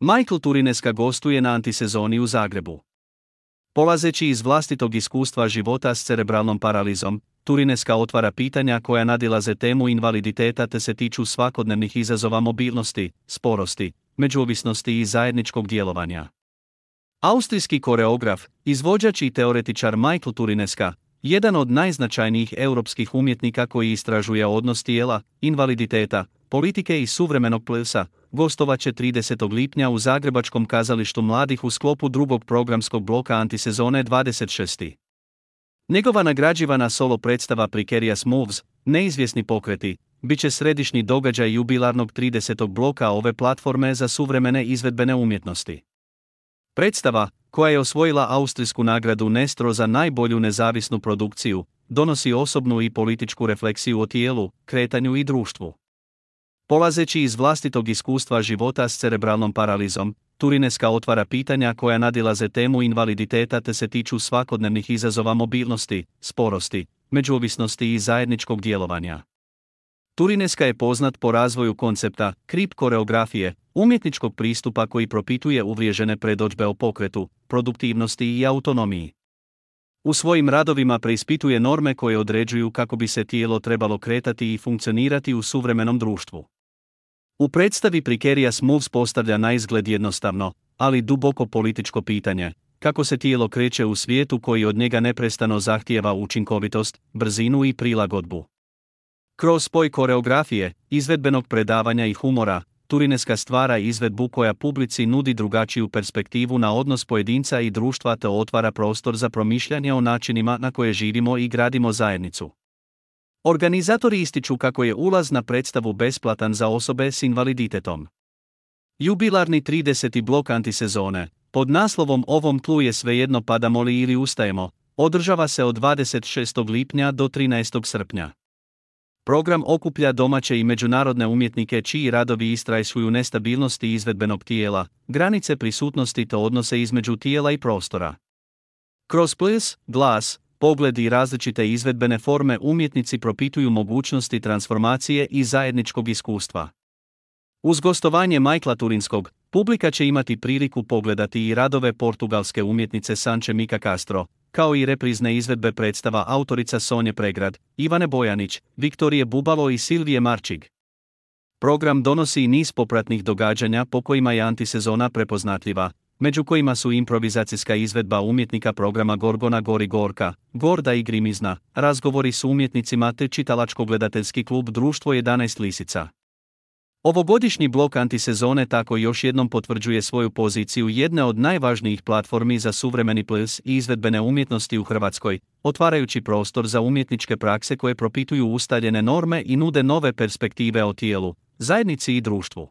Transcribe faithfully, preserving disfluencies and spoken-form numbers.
Michael Turineska gostuje na antisezoni u Zagrebu. Polazeći iz vlastitog iskustva života s cerebralnom paralizom, Turineska otvara pitanja koja nadilaze temu invaliditeta te se tiču svakodnevnih izazova mobilnosti, sporosti, međuovisnosti i zajedničkog djelovanja. Austrijski koreograf, izvođač i teoretičar Michael Turineska, jedan od najznačajnijih europskih umjetnika koji istražuje odnos tijela, invaliditeta, politike i suvremenog plesa, gostovaće tridesetog lipnja u Zagrebačkom kazalištu mladih u sklopu drugog programskog bloka antisezone dvadeset šest. Njegova nagrađivana solo predstava Precarious Moves, neizvjesni pokreti, bit će središnji događaj jubilarnog tridesetog bloka ove platforme za suvremene izvedbene umjetnosti. Predstava, koja je osvojila austrijsku nagradu Nestro za najbolju nezavisnu produkciju, donosi osobnu i političku refleksiju o tijelu, kretanju i društvu. Polazeći iz vlastitog iskustva života s cerebralnom paralizom, Turineska otvara pitanja koja nadilaze temu invaliditeta te se tiču svakodnevnih izazova mobilnosti, sporosti, međuovisnosti i zajedničkog djelovanja. Turineska je poznat po razvoju koncepta krip koreografije, umjetničkog pristupa koji propituje uvriježene predodžbe o pokretu, produktivnosti i autonomiji. U svojim radovima preispituje norme koje određuju kako bi se tijelo trebalo kretati i funkcionirati u suvremenom društvu. U predstavi Precarious Moves postavlja naizgled jednostavno, ali duboko političko pitanje, kako se tijelo kreće u svijetu koji od njega neprestano zahtijeva učinkovitost, brzinu i prilagodbu. Kroz spoj koreografije, izvedbenog predavanja i humora, Turineska stvara izvedbu koja publici nudi drugačiju perspektivu na odnos pojedinca i društva te otvara prostor za promišljanje o načinima na koje živimo i gradimo zajednicu. Organizatori ističu kako je ulaz na predstavu besplatan za osobe s invaliditetom. Jubilarni trideseti blok antisezone, pod naslovom Ovom tlu je svejedno padamo li ili ustajemo, održava se od dvadeset šestog lipnja do trinaestog srpnja. Program okuplja domaće i međunarodne umjetnike čiji radovi istražuju nestabilnosti izvedbenog tijela, granice prisutnosti te odnose između tijela i prostora. Kroz ples, glas, pogled i različite izvedbene forme umjetnici propituju mogućnosti transformacije i zajedničkog iskustva. Uz gostovanje Michaela Turinskog, publika će imati priliku pogledati i radove portugalske umjetnice Sanče Mika Castro, kao i reprizne izvedbe predstava autorica Sonje Pregrad, Ivane Bojanić, Viktorije Bubalo i Silvije Marčig. Program donosi i niz popratnih događanja po kojima je antisezona prepoznatljiva, među kojima su improvizacijska izvedba umjetnika programa Gorgona Gori Gorka, Gorda i Grimizna, razgovori s umjetnicima te čitalačko-gledateljski klub Društvo jedanaest lisica. Ovogodišnji blok antisezone tako još jednom potvrđuje svoju poziciju jedne od najvažnijih platformi za suvremeni ples i izvedbene umjetnosti u Hrvatskoj, otvarajući prostor za umjetničke prakse koje propituju ustaljene norme i nude nove perspektive o tijelu, zajednici i društvu.